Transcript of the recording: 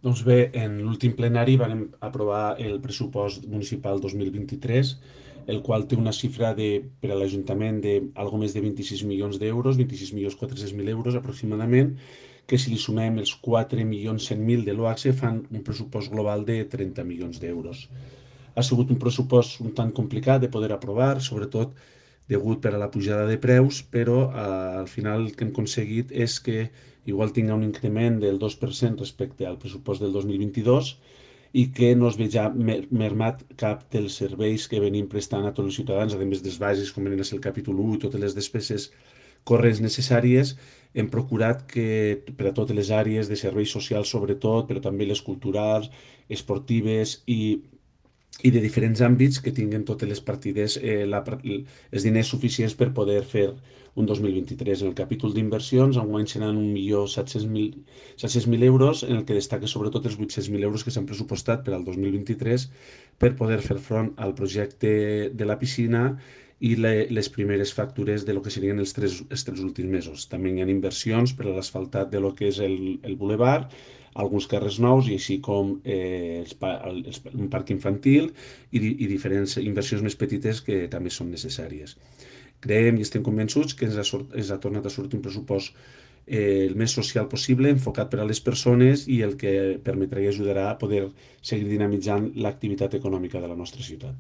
Doncs bé, en l'últim plenari vam aprovar el pressupost municipal 2023, el qual té una xifra per a l'Ajuntament d'algo més de 26 milions d'euros, 26.400.000 euros aproximadament, que si li sumem els 4.100.000 de l'OACSE fan un pressupost global de 30 milions d'euros. Ha sigut un pressupost un tant complicat de poder aprovar, sobretot degut per a la pujada de preus, però al final el que hem aconseguit és que igual tinga un increment del 2% respecte al pressupost del 2022 i que no es veja mermat cap dels serveis que venim prestant a tots els ciutadans, a més dels bases, com venen a ser el capítol 1 i totes les despeses corrents necessàries. Hem procurat que per a totes les àrees de serveis socials sobretot, però també les culturals, esportives i de diferents àmbits que tinguin totes les partides els diners suficients per poder fer un 2023. En el capítol d'inversions, enguany seran 1.700.000 euros, en el que destaca sobretot els 800.000 euros que s'han pressupostat per al 2023 per poder fer front al projecte de la piscina i les primeres factures de lo que serien els tres últims mesos. També hi ha inversions per a l'asfaltat de lo que és el bulevard, alguns carrers nous i així com un parc infantil i diferents inversions més petites que també són necessàries. Creiem i estem convençuts que ens ha tornat a sortir un pressupost el més social possible, enfocat per a les persones i el que permetrà i ajudarà a poder seguir dinamitzant l'activitat econòmica de la nostra ciutat.